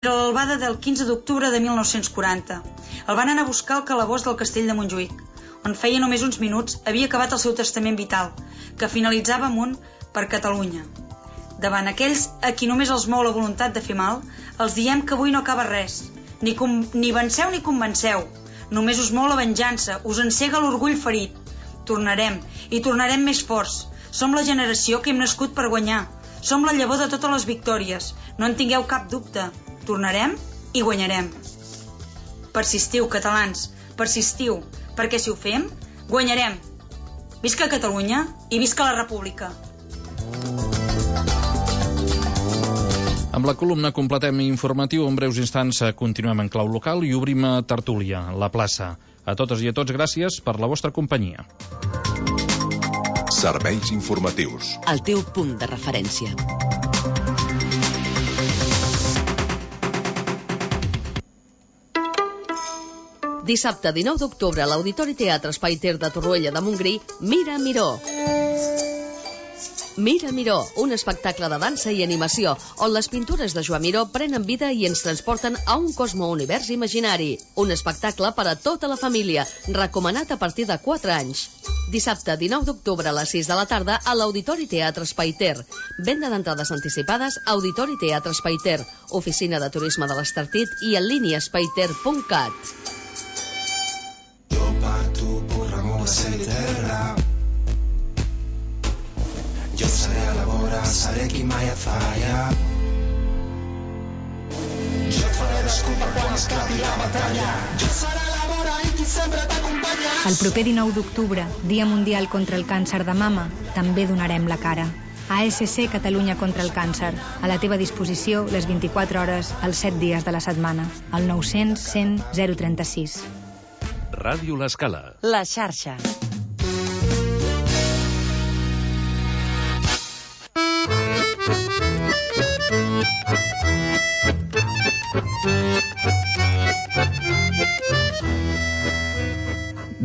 Era l'albada del 15 d'octubre de 1940. El van anar a buscar al calabós del castell de Montjuïc, on feia només uns minuts havia acabat el seu testament vital, que finalitzava amb un per Catalunya. Davant aquells a qui només els mou la voluntat de fer mal, els diem que avui no acaba res. Ni venceu ni convenceu. Només us mou la venjança, us encega l'orgull ferit. Tornarem, i tornarem més forts. Som la generació que hem nascut per guanyar. Som la llavor de totes les victòries. No en tingueu cap dubte. Tornarem i guanyarem. Persistiu, catalans, persistiu, perquè si ho fem, guanyarem. Visca Catalunya i visca la República. Amb la columna completem informatiu. En breus instants continuem en clau local i obrim a tertúlia, la plaça. A totes i a tots, gràcies per la vostra companyia. Serveis informatius. El teu punt de referència. Dissabte 19 d'octubre a l'Auditori Teatre Espai Ter de Torroella de Montgrí, Mira Miró. Mira Miró, un espectacle de dansa i animació, on les pintures de Joan Miró prenen vida i ens transporten a un cosmounivers imaginari. Un espectacle per a tota la família, recomanat a partir de 4 anys. Dissabte 19 d'octubre a les 6 de la tarda a l'Auditori Teatre Espai Ter. Venda d'entrades anticipades a Auditori Teatre Espai Ter, Oficina de Turisme de l'Estartit i en línia espaiter.cat. Jo seré a la vora, seré qui mai et falla. Jo et faré d'escupa quan esclati la batalla. Jo seré a la vora i qui sempre t'acompanya. El proper 19 d'octubre, Dia Mundial contra el Càncer de Mama, també donarem la cara. ASC Catalunya contra el Càncer. A la teva disposició les 24 hores, els 7 dies de la setmana. Al 900 100 036. Ràdio L'Escala. La xarxa.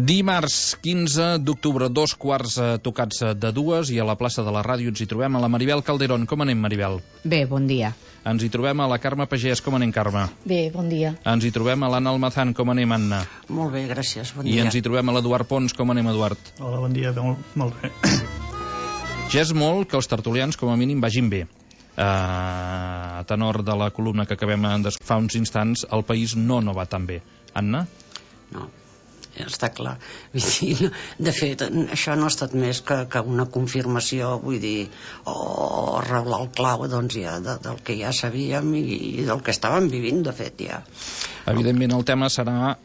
Dimarts 15 d'octubre, 2 tocats de 2, i a la plaça de la ràdio ens hi trobem a la Maribel Calderón. Com anem, Maribel? Bé, bon dia. Ens hi trobem a la Carme Pagès. Com anem, Carme? Bé, bon dia. Ens hi trobem a l'Anna Almazán. Com anem, Anna? Molt bé, gràcies, bon I dia. ens hi trobem a l'Eduard Pons. Com anem, Eduard? Hola, bon dia, molt bé. Ja és molt que els tertulians, com a mínim, vagin bé. A tenor de la columna que acabem de fa uns instants, el país no va tan bé. Anna? No, està clar. De fet, això no ha estat més que una confirmació, vull dir, o reblar el clau, doncs, ja, del que ja sabíem i del que estàvem vivint, de fet, ja. Evidentment, el tema serà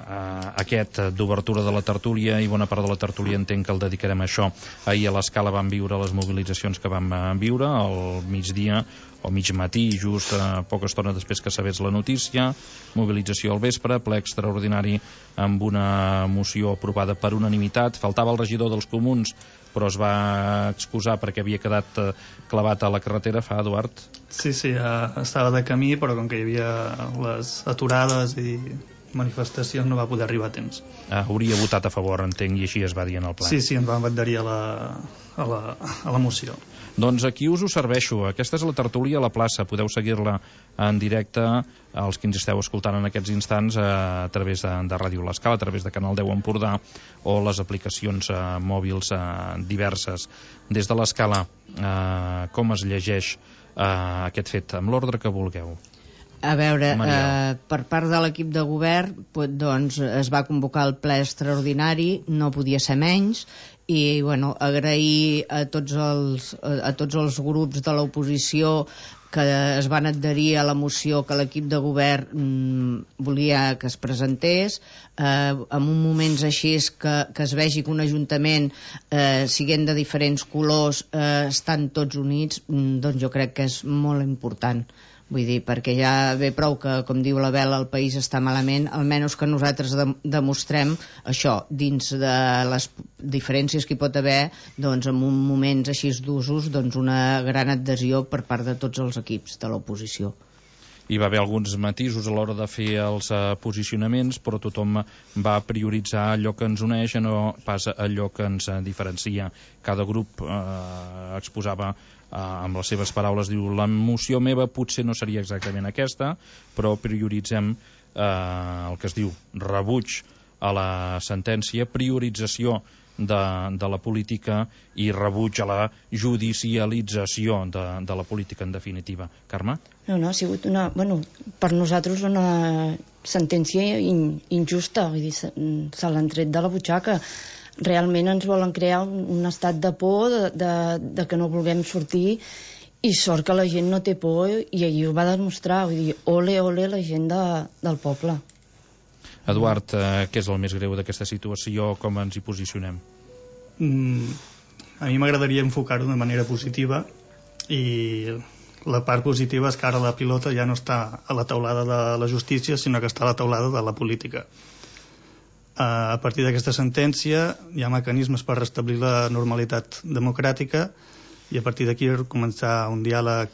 aquest d'obertura de la tertúlia, i bona part de la tertúlia entenc que el dedicarem a això. Ahir a l'Escala vam viure les mobilitzacions que vam viure al migdia o mig matí, just poca estona després que sabés la notícia. Mobilització al vespre, ple extraordinari amb una moció aprovada per unanimitat. Faltava el regidor dels Comuns, però es va excusar perquè havia quedat clavat a la carretera. Eduard? Sí, estava de camí, però com que hi havia les aturades i manifestacions no va poder arribar a temps. Hauria votat a favor, entenc, i així es va dir en el ple. Sí, ens van adherir a la moció. Doncs aquí us ho serveixo. Aquesta és la tertúlia a la plaça. Podeu seguir-la en directe, els que ens esteu escoltant en aquests instants, a través de Ràdio L'Escala, a través de Canal 10 Empordà, o les aplicacions mòbils diverses. Des de l'Escala, com es llegeix aquest fet? Amb l'ordre que vulgueu. A veure, per part de l'equip de govern, doncs es va convocar el ple extraordinari, no podia ser menys, i agrair a tots els grups de l'oposició que es van adherir a la moció que l'equip de govern volia que es presentés. En uns moments així que es vegi que un ajuntament, siguent de diferents colors, estan tots units, doncs jo crec que és molt important. Vull dir, perquè ja ve prou que, com diu la Bela, el país està malament, almenys que nosaltres demostrem això, dins de les diferències que hi pot haver, doncs en moments així d'usos, doncs una gran adhesió per part de tots els equips de l'oposició. Hi va haver alguns matisos a l'hora de fer els posicionaments, però tothom va prioritzar allò que ens uneix, no pas allò que ens diferencia. Cada grup exposava amb les seves paraules diu: la moció meva potser no seria exactament aquesta, però prioritzem el que es diu rebuig a la sentència, priorització de la política i rebuig a la judicialització de la política, en definitiva. Carme? No, ha sigut per nosaltres una sentència injusta, vull dir, se l'han tret de la butxaca. Realment ens volen crear un estat de por, de que no vulguem sortir, i sort que la gent no té por, i ahir ho va demostrar, vull dir, ole, ole la gent del poble. Eduard, què és el més greu d'aquesta situació? Com ens hi posicionem? A mi m'agradaria enfocar-ho de manera positiva, i la part positiva és que ara la pilota ja no està a la taulada de la justícia, sinó que està a la taulada de la política. A partir d'aquesta sentència hi ha mecanismes per restablir la normalitat democràtica, i a partir d'aquí començar un diàleg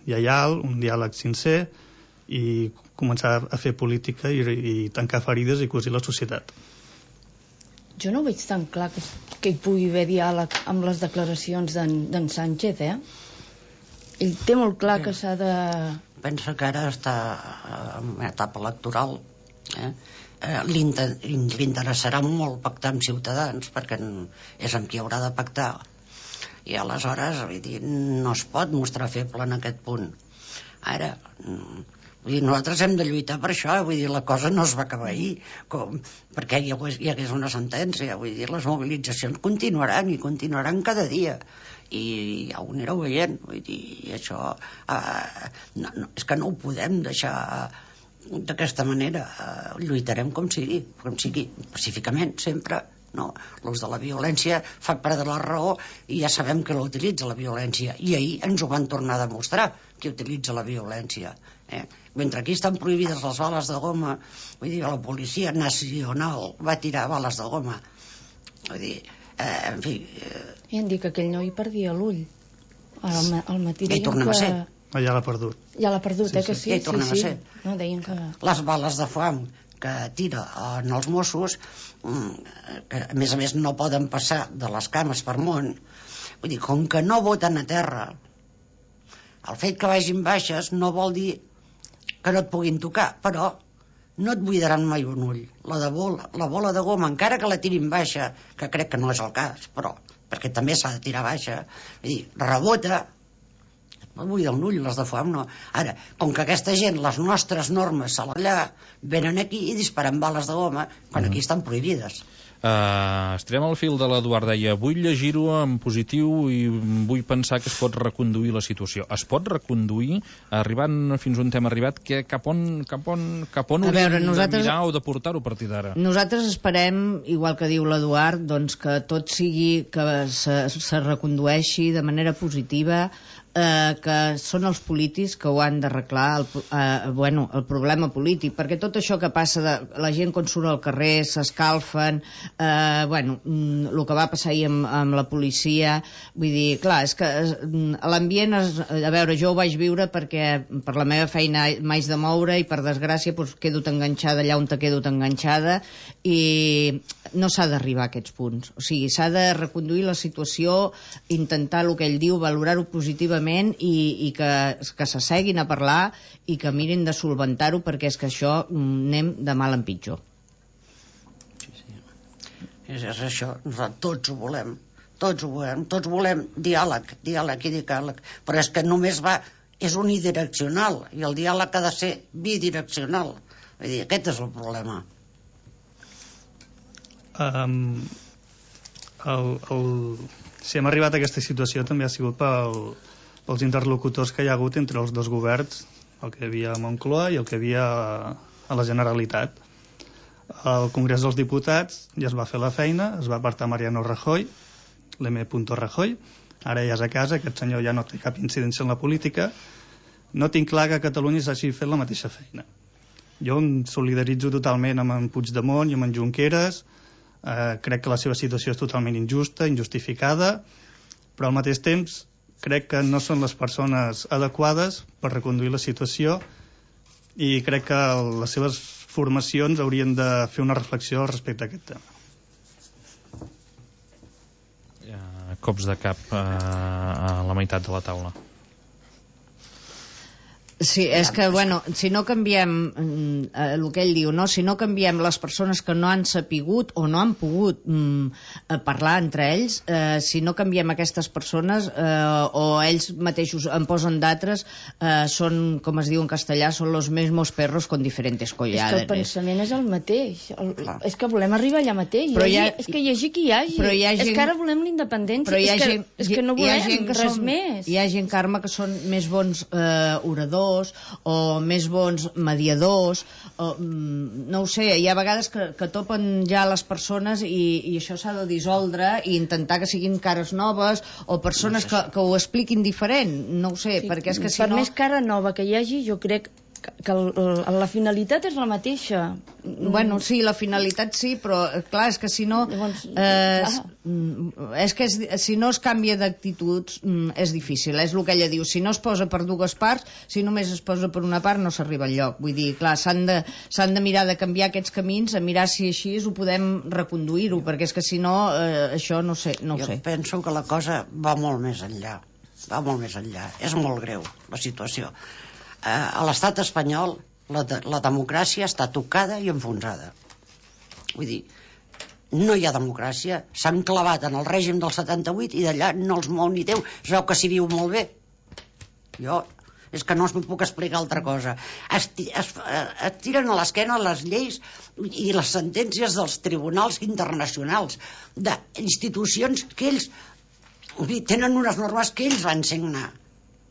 lleial, un diàleg sincer, i començar a fer política i tancar ferides i cosir la societat. Jo no veig tan clar que hi pugui haver diàleg amb les declaracions d'en Sánchez, Ell té molt clar que s'ha de... Pensa que ara està en una etapa electoral, li interessarà molt pactar amb Ciutadans, perquè és amb qui haurà de pactar, i aleshores, vull dir, no es pot mostrar feble en aquest punt. Ara... Vull dir, nosaltres hem de lluitar per això, vull dir, la cosa no es va acabar ahir, perquè hi hagués una sentència, vull dir, les mobilitzacions continuaran, i continuaran cada dia, i ja ho anireu veient, vull dir, i això, és que no ho podem deixar d'aquesta manera, lluitarem com sigui, pacíficament, sempre, no? L'ús de la violència fa perdre la raó, i ja sabem que l'utilitza la violència, i ahir ens ho van tornar a demostrar, que utilitza la violència. Mentre aquí estan prohibides les bales de goma, vull dir, la policia nacional va tirar bales de goma, vull dir, en fi... I han dit que aquell noi perdia l'ull al matí. Ja hi tornem a ser. Ja l'ha perdut. Ja l'ha perdut, que sí. Ja hi tornem a ser. No, deien que... Les bales de foam que tira en els Mossos, que a més no poden passar de les cames per món, vull dir, com que no voten a terra, el fet que vagin baixes no vol dir que no et puguin tocar, però no et buidaran mai un ull. La bola de goma, encara que la tirin baixa, que crec que no és el cas, però perquè també s'ha de tirar baixa, vull dir, rebota, et buida un ull, les de foam no. Ara, com que aquesta gent, les nostres normes allà, venen aquí i disparen bales de goma, quan aquí estan prohibides. Estirem el fil de l'Eduard, deia: vull llegir-ho en positiu i vull pensar que es pot reconduir la situació. Es pot reconduir, arribant fins on hem arribat, cap on hauríem de mirar o de portar-ho a partir d'ara? Nosaltres esperem, igual que diu l'Eduard, doncs que tot sigui, que se recondueixi de manera positiva, que són els polítics que ho han d'arreglar, el problema polític, perquè tot això que passa de la gent quan surt al carrer s'escalfen, el que va passar ahir amb la policia, vull dir, clar, és que l'ambient, a veure, jo ho vaig viure perquè per la meva feina m'haig de moure i per desgràcia quedo enganxada allà on te quedo enganxada, i no s'ha d'arribar a aquests punts, o sigui, s'ha de reconduir la situació, intentar el que ell diu, valorar-ho positivament, i que s'asseguin a parlar i que mirin de solventar-ho, perquè és que això anem de mal en pitjor. És això, tots ho volem, tots volem diàleg i diàleg, però és que només és unidireccional, i el diàleg ha de ser bidireccional, vull dir, aquest és el problema. Si hem arribat a aquesta situació també ha sigut pels interlocutors que hi ha hagut entre els dos governs, el que hi havia a Moncloa i el que hi havia a la Generalitat. Al Congrés dels Diputats ja es va fer la feina, es va apartar Mariano Rajoy, l'M. Rajoy, ara ja és a casa, aquest senyor ja no té cap incidència en la política. No tinc clar que a Catalunya s'hagi fet la mateixa feina. Jo em solidaritzo totalment amb en Puigdemont i amb en Junqueras, crec que la seva situació és totalment injusta, injustificada, però al mateix temps crec que no són les persones adequades per reconduir la situació, i crec que les seves formacions haurien de fer una reflexió respecte a aquest tema. cops de cap a la meitat de la taula. Sí, és que, bueno, si no canviem el que ell diu, no? Si no canviem les persones que no han sapigut o no han pogut parlar entre ells, si no canviem aquestes persones o ells mateixos en posen d'altres, són, com es diu en castellà, són los mismos perros con diferentes collares. És que el pensament és el mateix. És que volem arribar allà mateix. És que hi hagi qui hi hagi. És que ara volem la independència. És que no volem res més. Hi ha gent, Carme, que són més bons oradors o més bons mediadors no ho sé, hi ha vegades que topen ja les persones i això s'ha de dissoldre i intentar que siguin cares noves o persones que ho expliquin diferent, no ho sé, perquè és que si no... Per més cara nova que hi hagi, jo crec que la finalitat és la mateixa. Bueno, sí, la finalitat sí, però clar, és que si no si no es canvia d'actituds és difícil, és el que ella diu, si no es posa per dues parts, si només es posa per una part no s'arriba enlloc, vull dir, clar, s'han de mirar de canviar aquests camins, a mirar si així ho podem reconduir-ho, perquè és que si no això no sé. Jo penso que la cosa va molt més enllà, és molt greu la situació. A l'estat espanyol la democràcia està tocada i enfonsada. Vull dir, no hi ha democràcia, s'han clavat en el règim del 78 i d'allà no els mou ni Déu, es veu que s'hi viu molt bé. Jo és que no us puc explicar altra cosa. Es tiren a l'esquena les lleis i les sentències dels tribunals internacionals, d'institucions que ells tenen unes normes que ells van signar.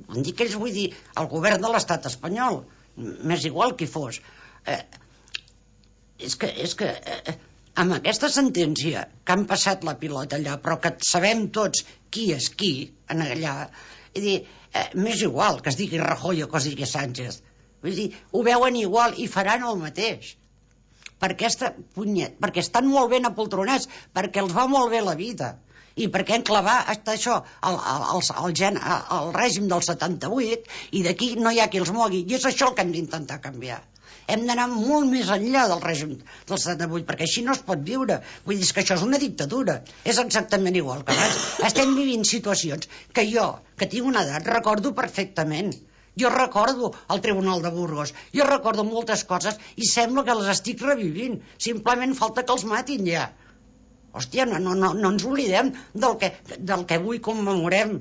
Vull dir que ells, vull dir, el govern de l'estat espanyol, m'és igual qui fos. És que amb aquesta sentència que han passat la pilota allà, però que sabem tots qui és qui en allà, m'és igual que es digui Rajoy o que es digui Sánchez. Vull dir, ho veuen igual i faran el mateix. Perquè estan molt ben apoltronats, perquè els va molt bé la vida. I perquè enclavar hasta això el règim del 78 i d'aquí no hi ha qui els mogui, i és això el que hem d'intentar canviar. Hem d'anar molt més enllà del règim del 78, perquè així no es pot viure. Vull dir que això és una dictadura, és exactament igual que abans. Estem vivint situacions que jo, que tinc una edat, recordo perfectament. Jo recordo el Tribunal de Burgos, jo recordo moltes coses i sembla que les estic revivint, simplement falta que els matin ja. Hòstia, no ens oblidem del que avui commemorem.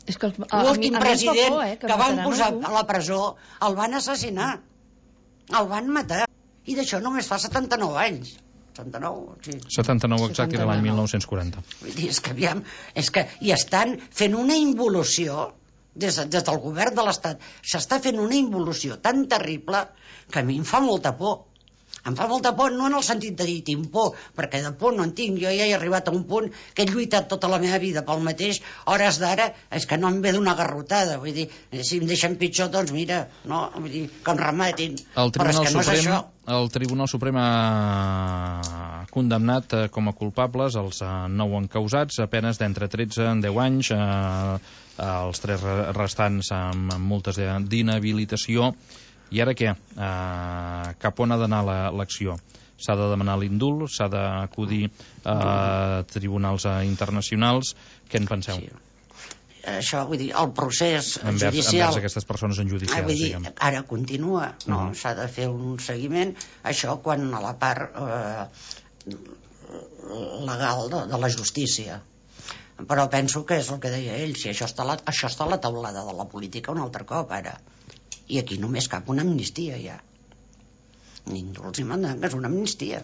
L'últim president que van posar a la presó el van assassinar, el van matar, i d'això només fa 79 anys. 79 exacte, era l'any 1940. Vull dir, és que aviam, i estan fent una involució des del govern de l'Estat, s'està fent una involució tan terrible que a mi em fa molta por. Em fa molta por, no en el sentit de dir tinc por, perquè de por no en tinc. Jo ja he arribat a un punt que he lluitat tota la meva vida pel mateix, hores d'ara és que no em ve d'una garrotada. Vull dir, si em deixen pitjor, doncs mira, no, vull dir, que em rematin. El Tribunal Suprem ha condemnat com a culpables els 9 encausats, a penes d'entre 13 en 10 anys, els 3 restants amb multes d'inhabilitació. I ara què? Cap on ha d'anar l'acció? S'ha de demanar l'indult? S'ha d'acudir a tribunals internacionals? Què en penseu? Sí. Això, vull dir, el procés judicial... Envers aquestes persones enjudiciades, vull dir, ara continua, no? S'ha de fer un seguiment, això quan a la part legal de la justícia. Però penso que és el que deia ell, si això està a la taulada de la política un altre cop, ara. I aquí només cap una amnistia, ja. Indults i mandangues, una amnistia.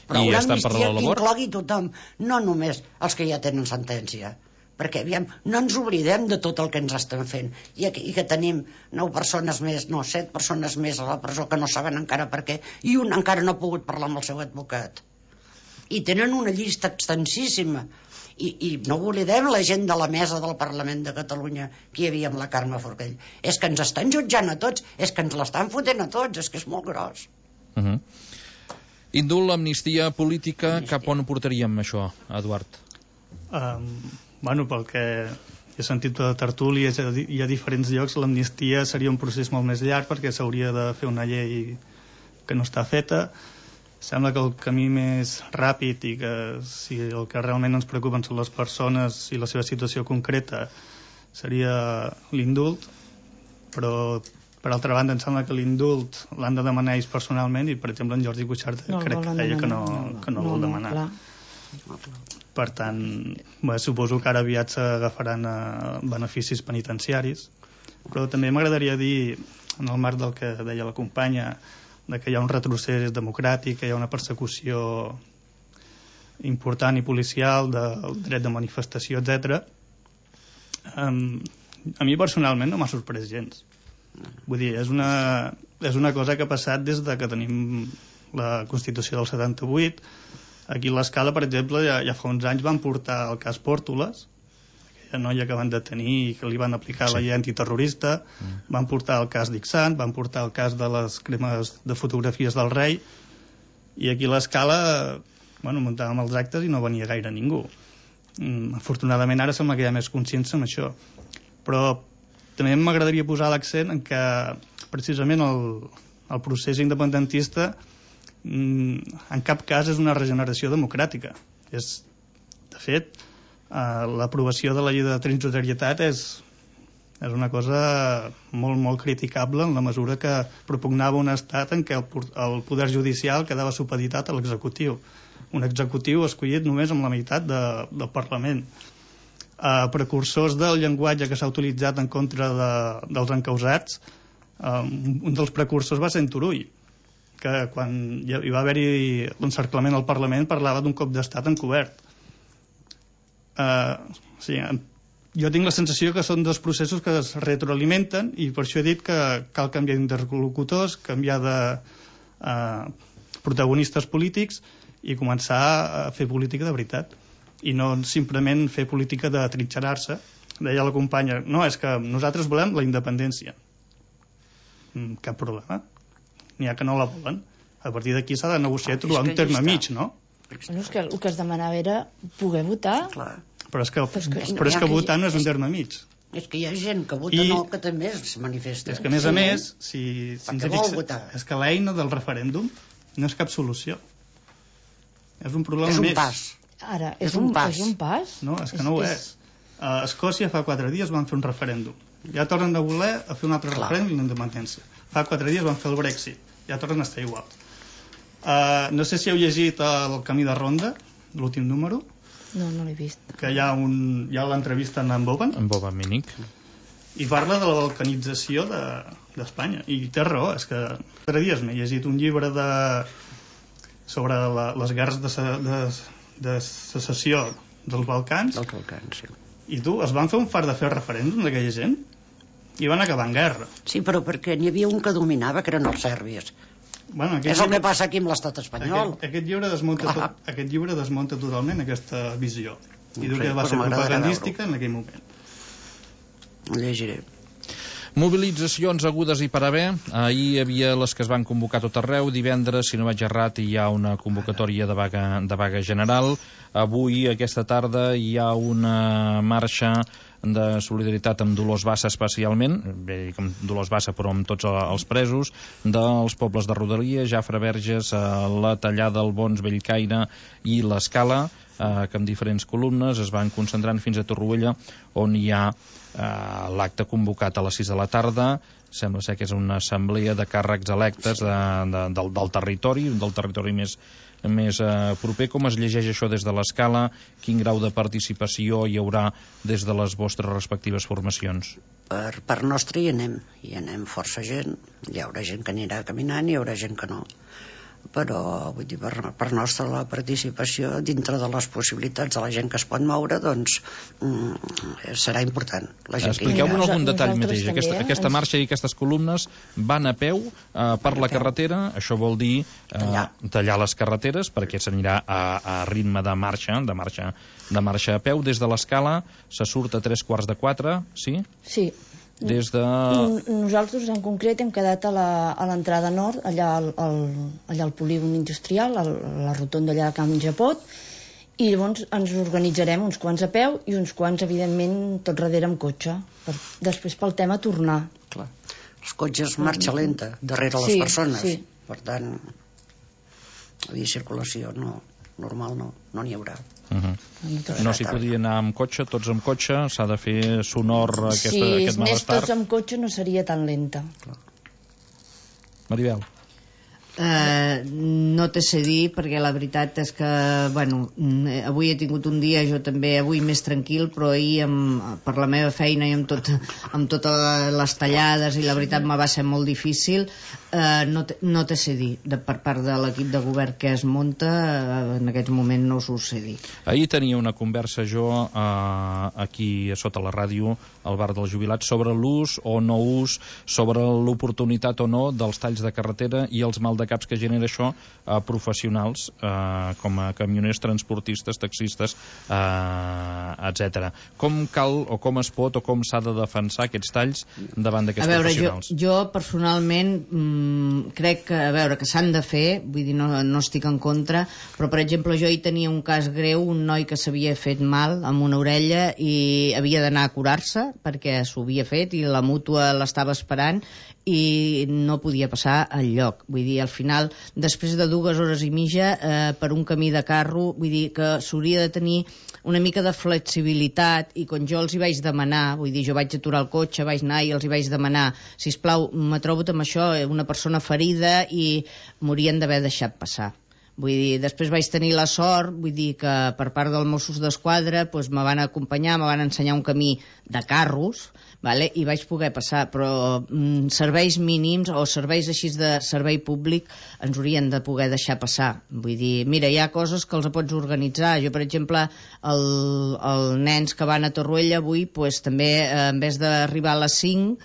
Però una amnistia que inclogui tothom, no només els que ja tenen sentència. Perquè, aviam, no ens oblidem de tot el que ens estan fent. I que tenim 9 persones més, 7 persones més a la presó que no saben encara per què, i un encara no ha pogut parlar amb el seu advocat. I tenen una llista extensíssima. I no oblidem la gent de la mesa del Parlament de Catalunya que hi havia amb la Carme Forcadell. És que ens estan jutjant a tots, és que ens l'estan fotent a tots, és que és molt gros. Indult, amnistia política, cap on portaríem això, Eduard? Bueno, pel que he sentit de tertúlies i a diferents llocs, l'amnistia seria un procés molt més llarg perquè s'hauria de fer una llei que no està feta, Sembla que el camí més ràpid i que si el que realment ens preocupen són les persones i la seva situació concreta seria l'indult, però per altra banda em sembla que l'indult l'han de demanar ells personalment i per exemple en Jordi Cuixart crec que deia que no vol demanar. Per tant, suposo que ara aviat s'agafaran beneficis penitenciaris, però també m'agradaria dir, en el marc del que deia la companya, que hi ha un retrocés democràtic, que hi ha una persecució important i policial del dret de manifestació, etc. A mi personalment no m'ha sorprès gens. Vull dir, és una cosa que ha passat des de que tenim la Constitució del 78. Aquí a l'Escala, per exemple, ja fa uns anys van portar el cas Pòrtoles, aquella noia que van detenir i que li van aplicar la llei antiterrorista, van portar el cas d'Ixant, van portar el cas de les cremes de fotografies del rei, i aquí a l'Escala muntàvem els actes i no venia gaire ningú. Afortunadament ara sembla que hi ha més consciència amb això, però també m'agradaria posar l'accent en que precisament el procés independentista en cap cas és una regeneració democràtica. De fet, l'aprovació de la llei de transitorietat és una cosa molt, molt criticable en la mesura que propugnava un estat en què el poder judicial quedava supeditat a l'executiu. Un executiu escollit només amb la meitat del Parlament. Precursors del llenguatge que s'ha utilitzat en contra dels encausats, un dels precursors va ser en Turull, que quan hi va haver-hi l'encerclament al Parlament parlava d'un cop d'estat encobert. Jo tinc la sensació que són dos processos que es retroalimenten i per això he dit que cal canviar d'interlocutors, canviar de protagonistes polítics i començar a fer política de veritat i no simplement fer política de trinxerar-se. Deia la companya, no, és que nosaltres volem la independència. Cap problema. N'hi ha que no la volen. A partir d'aquí s'ha de negociar i trobar un terme mig, no? Bueno, és que el que es demanava era poder votar. Però és que votar no és un terme mig. És que hi ha gent que vota no, que també es manifesta. És que a més, és que l'eina del referèndum no és cap solució. És un problema més. És un pas. Ara, és un pas? No, és que no ho és. A Escòcia fa 4 dies van fer un referèndum. Ja tornen de voler a fer un altre referèndum i l'independència. Fa 4 dies van fer el Brexit. Ja tornen a estar igual. No sé si heu llegit El camí de ronda, l'últim número. No l'he vist. Que hi ha l'entrevista amb en Boban. En Boban Mínic. I parla de la balcanització d'Espanya. I té raó, és que 4 dies m'he llegit un llibre sobre les guerres de secessió dels Balcans. Sí. I es van fer un fart de fer referèndum d'aquella gent i van acabar en guerra. Sí, però perquè n'hi havia un que dominava, que eren els sèrbis. És el que passa aquí amb l'estat espanyol. Aquest llibre desmunta totalment aquesta visió. I diu que va ser propagandística en aquell moment. Ho llegiré. Mobilitzacions agudes i per haver. Ahir hi havia les que es van convocar a tot arreu. Divendres, si no vaig errat, hi ha una convocatòria de vaga general. Avui, aquesta tarda, hi ha una marxa de solidaritat amb Dolors Bassa especialment, bé, com Dolors Bassa però amb tots els presos, dels pobles de Rodalia, Jafre Verges, la Tallada, el Bons, Bellcaire i l'Escala, que amb diferents columnes es van concentrant fins a Torroella, on hi ha l'acte convocat a les 6 de la tarda. Sembla ser que és una assemblea de càrrecs electes del territori més proper. Com es llegeix això des de l'Escala? Quin grau de participació hi haurà des de les vostres respectives formacions? Per nostre hi anem força gent. Hi haurà gent que anirà caminant, hi haurà gent que no. Però vull dir, per nostra la participació dintre de les possibilitats de la gent que es pot moure, doncs serà important. Expliqueu-me algun detall mateix. Aquesta marxa i aquestes columnes van a peu per la carretera. Això vol dir tallar les carreteres, perquè s'anirà a ritme de marxa a peu. Des de l'Escala se surt a 3:15, sí? Sí. Nosaltres en concret hem quedat a l'entrada nord, allà al polígon industrial, a la rotonda allà de Can Japot, i llavors ens organitzarem uns quants a peu i uns quants, evidentment, tot darrere amb cotxe, després pel tema tornar. Clar. Els cotxes marxa lenta darrere les persones, per tant circulació normal no n'hi haurà. No s'hi podia anar amb cotxe, tots amb cotxe, s'ha de fer sonor aquest malestar. Si és més tots amb cotxe no seria tan lenta. Maribel. No te sé dir, perquè la veritat és que, bueno, avui he tingut un dia, jo també, avui més tranquil, però ahir per la meva feina i amb totes les tallades, i la veritat me va ser molt difícil. No te sé dir, per part de l'equip de govern que es munta, en aquest moment no us ho sé dir. Ahir tenia una conversa jo aquí sota la ràdio, al bar dels jubilats, sobre l'ús o no ús, sobre l'oportunitat o no dels talls de carretera i els maldecaps que genera això a professionals com a camioners, transportistes, taxistes, etc. Com cal o com es pot o com s'ha de defensar aquests talls davant d'aquests professionals? Jo personalment crec que s'han de fer, vull dir, no estic en contra, però per exemple jo hi tenia un cas greu, un noi que s'havia fet mal amb una orella i havia d'anar a curar-se perquè s'ho havia fet i la mútua l'estava esperant i no podia passar al lloc. Vull dir, al final, després de 2 hores i mitja per un camí de carro, vull dir que s'hauria de tenir una mica de flexibilitat, i quan jo els hi vaig demanar, vull dir, jo vaig aturar el cotxe, vaig anar i els hi vaig demanar, sisplau, m'he trobat amb això, una persona ferida i m'haurien d'haver deixat passar. Vull dir, després vaig tenir la sort, vull dir que per part dels Mossos d'Esquadra doncs me van acompanyar, me van ensenyar un camí de carros, vale? I vaig poder passar, però serveis mínims o serveis així de servei públic ens haurien de poder deixar passar. Vull dir, mira, hi ha coses que els pots organitzar. Jo, per exemple, els nens que van a Torroella avui, doncs, també en vez d'arribar a les 5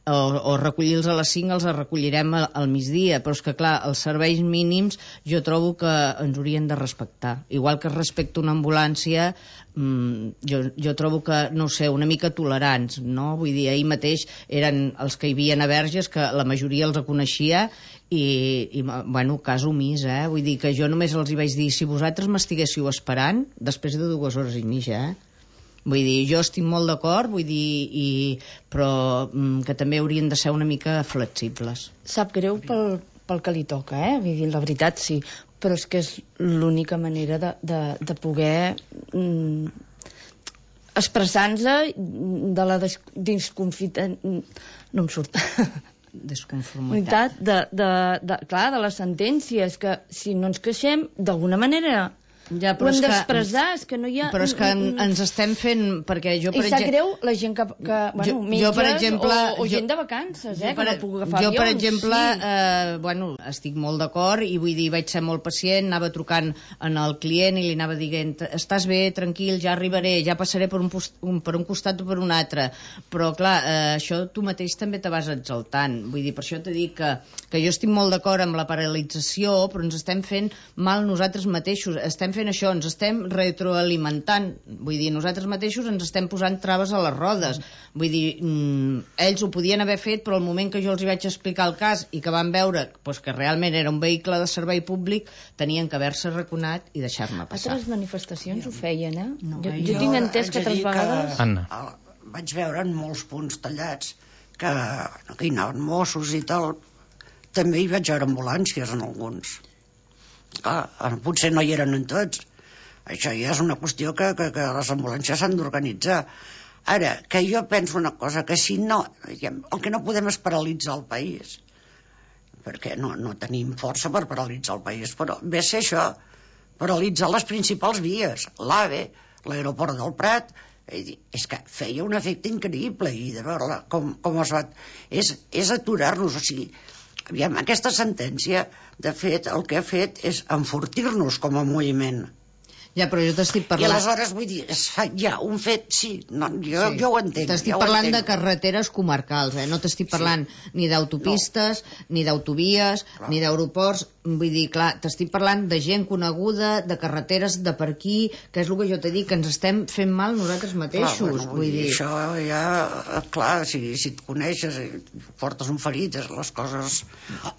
o recollir-los a les 5 els recollirem al migdia, però és que clar, els serveis mínims jo trobo que ens haurien de respectar, igual que es respecta una ambulància. Jo trobo que, no sé, una mica tolerants, no? Vull dir, ahir mateix eren els que hi havia a Verges, que la majoria els coneixia i bueno, cas omís, vull dir que jo només els hi vaig dir, si vosaltres m'estiguéssiu esperant després de 2 hores i mitja, vull dir, jo estic molt d'acord, vull dir, però que també haurien de ser una mica flexibles. Sap greu pel que li toca, vull dir, la veritat sí, però és que és l'única manera de poder expressar-nos de la desconfiança, no em surt, desconformitat de les sentències, que si no ens queixem d'alguna manera ja, ho hem d'expressar, és que no hi ha... Però és que ens estem fent, perquè jo, per exemple... I sap greu la gent que metges per exemple, o gent de vacances, que no puc agafar avions. Jo, per exemple, bueno, estic molt d'acord i vull dir, vaig ser molt pacient, anava trucant en el client i li anava dient, estàs bé, tranquil, ja arribaré, ja passaré per un costat o per un altre, però clar, això tu mateix també te vas exaltant, vull dir, per això t'he dit que jo estic molt d'acord amb la paralització, però ens estem fent mal nosaltres mateixos, estem fent això, ens estem retroalimentant, vull dir, nosaltres mateixos ens estem posant traves a les rodes, vull dir, ells ho podien haver fet, però al moment que jo els hi vaig explicar el cas i que van veure doncs, que realment era un vehicle de servei públic, tenien que haver-se raconat i deixar-me passar. Altres manifestacions ho feien, No, jo tinc entès que altres vegades... Vaig veure en molts punts tallats que hi anaven Mossos i tal, també hi vaig veure ambulàncies en alguns. Clar, potser no hi eren en tots. Això ja és una qüestió que les ambulàncies s'han d'organitzar. Ara, que jo penso una cosa, que si no, el que no podem és paralitzar el país, perquè no tenim força per paralitzar el país, però ve a ser això, paralitzar les principals vies, l'AVE, l'aeroport del Prat. És que feia un efecte increïble i de veure com es va... És aturar-nos, o sigui, aviam, aquesta sentència, de fet, el que ha fet és enfortir-nos com a moviment. Ja, però jo t'estic parlant... I aleshores, vull dir, es fa ja un fet, sí, jo ho entenc. T'estic parlant de carreteres comarcals, no t'estic parlant ni d'autopistes, ni d'autovies, ni d'aeroports, vull dir, clar, t'estic parlant de gent coneguda, de carreteres de per aquí, que és el que jo t'he dit, que ens estem fent mal nosaltres mateixos, vull dir... Això ja, clar, si et coneixes i portes un ferit, les coses...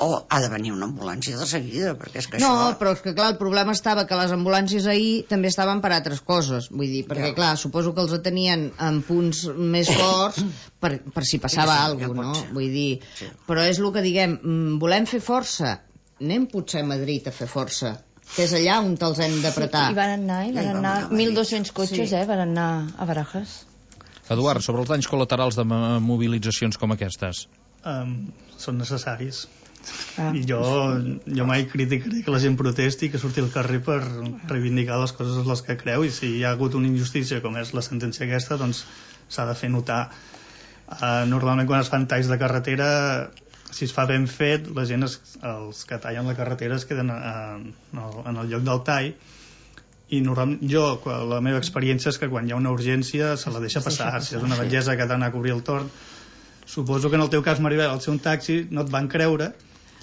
O ha de venir una ambulància de seguida, perquè és que això... No, però és que clar, el problema estava que les ambulàncies ahir també estaven per altres coses, vull dir, perquè clar, suposo que els atenien en punts més forts per si passava alguna cosa, no? Vull dir, però és el que diguem, volem fer força, anem potser a Madrid a fer força, que és allà on te'ls hem d'apretar. I van anar 1.200 cotxes, van anar a Barajas. Eduard, sobre els danys col·laterals de mobilitzacions com aquestes. Són necessaris. I jo mai criticaré que la gent protesti i que surti al carrer per reivindicar les coses en les que creu, i si hi ha hagut una injustícia com és la sentència aquesta, doncs s'ha de fer notar. Normalment quan es fan talls de carretera, si es fa ben fet, la gent, els que tallen la carretera es queden en el lloc del tall, i la meva experiència és que quan hi ha una urgència se la deixa passar. Si és una bellesa que ha d'anar a cobrir el torn, suposo que en el teu cas, Maribel, al ser un taxi no et van creure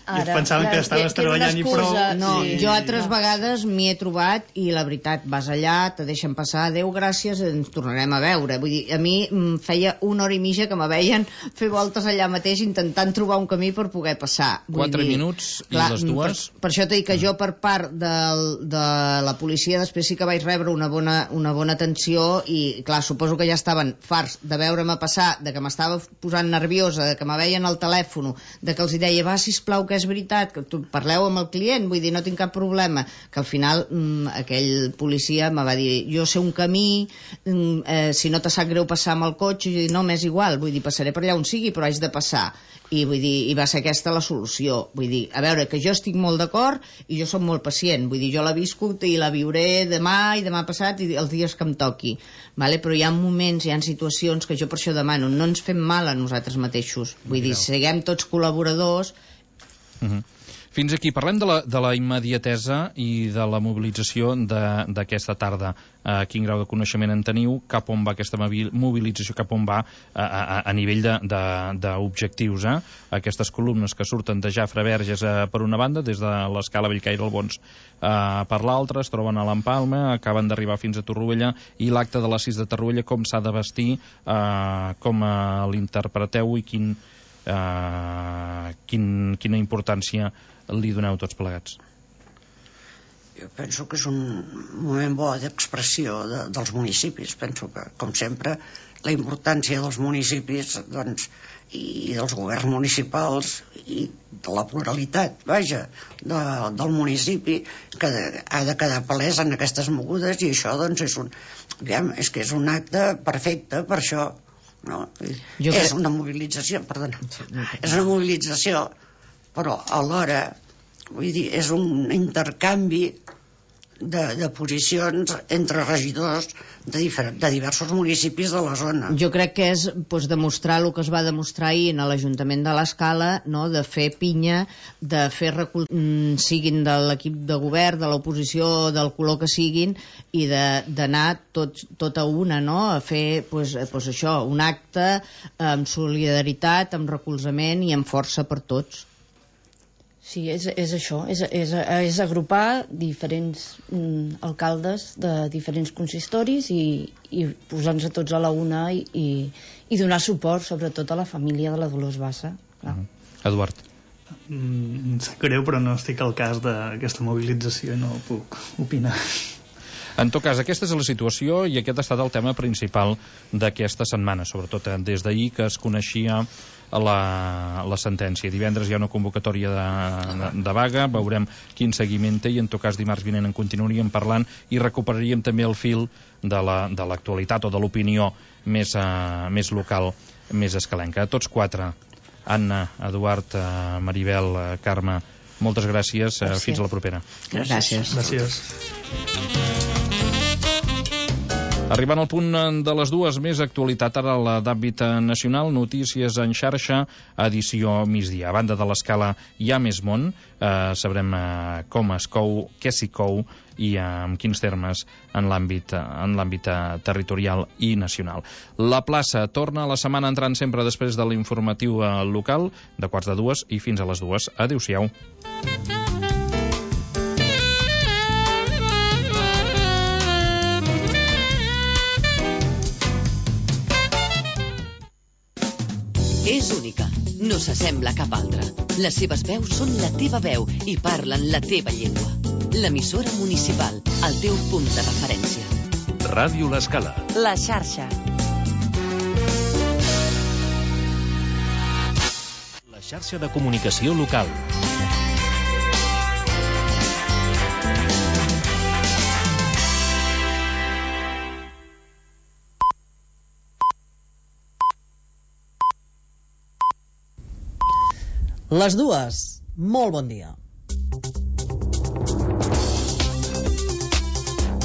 i pensaven que estaves treballant i prou. No, jo altres vegades m'hi he trobat i la veritat, vas allà, te deixen passar, adéu, gràcies, ens tornarem a veure. Vull dir, a mi em feia una hora i mitja que me veien fer voltes allà mateix intentant trobar un camí per poder passar. 4 minuts i les dues? Per això t'he dit que jo per part de la policia després sí que vaig rebre una bona atenció i clar, suposo que ja estaven farts de veure-me passar, de que m'estava posant nerviosa, de que me veien al telèfon, de que els deia, va, sisplau, que és veritat, que tu parleu amb el client, vull dir, no tinc cap problema, que al final aquell policia me va dir, jo sé un camí, si no te sap greu passar amb el cotxe, i no, m'és igual, vull dir, passaré per allà on sigui, però haig de passar, i vull dir, i va ser aquesta la solució, vull dir, a veure, que jo estic molt d'acord i jo soc molt pacient, vull dir, jo l'he viscut i la viuré demà i demà passat i els dies que em toqui, vale? Però hi ha moments, hi ha situacions que jo per això demano, no ens fem mal a nosaltres mateixos, vull dir, siguem tots col·laboradors. Fins aquí, parlem de la immediatesa i de la mobilització d'aquesta tarda. Quin grau de coneixement en teniu? Cap on va aquesta mobilització? Cap on va a nivell d'objectius? Aquestes columnes que surten de Jafre Verges per una banda, des de l'escala Bellcaire Albons per l'altra, es troben a l'Empalma, acaben d'arribar fins a Torroella, i l'acte de les 6 de Torroella, com s'ha de vestir, com l'interpreteu i quina importància li doneu tots plegats? Jo penso que és un moment bo d'expressió dels municipis. Penso que, com sempre, la importància dels municipis, doncs, i dels governs municipals i de la pluralitat, vaja, del municipi, que ha de quedar palès en aquestes mogudes, i això, doncs, és un acte perfecte per això. No? És una mobilització, és una mobilització, però alhora, vull dir, és un intercanvi de posicions entre regidors de diversos municipis de la zona. Jo crec que és demostrar el que es va demostrar ahir a l'Ajuntament de l'Escala, no? De fer pinya, de fer siguin de l'equip de govern, de l'oposició, del color que siguin, i d'anar tot a una, no? A fer això, un acte amb solidaritat, amb recolzament i amb força per tots. Sí, és això, és agrupar diferents alcaldes de diferents consistoris i posar-nos tots a la una i donar suport, sobretot a la família de la Dolors Bassa. Eduard. Em sap greu, però no estic al cas d'aquesta mobilització i no puc opinar. En tot cas, aquesta és la situació i aquest ha estat el tema principal d'aquesta setmana, sobretot des d'ahir que es coneixia la sentència. Divendres hi ha una convocatòria de vaga, veurem quin seguiment té, i en tot cas dimarts vinent en continuaríem parlant i recuperaríem també el fil de l'actualitat o de l'opinió més local, més escalenca. A tots quatre, Anna, Eduard, Maribel, Carme, moltes gràcies. Fins a la propera. Gràcies. Arribant al punt de les dues, més actualitat ara la d'àmbit nacional, notícies en xarxa, edició migdia. A banda de l'escala hi ha més món, sabrem com es cou, què s'hi cou i en quins termes en l'àmbit territorial i nacional. La plaça torna la setmana entrant sempre després de l'informatiu local, de 1:45 i fins a les 2. Adéu-siau. És única, no s'assembla a cap altra. Les seves veus són la teva veu i parlen la teva llengua. L'emissora municipal, el teu punt de referència. Ràdio L'Escala. La xarxa. La xarxa de comunicació local. Les dues. Molt bon dia.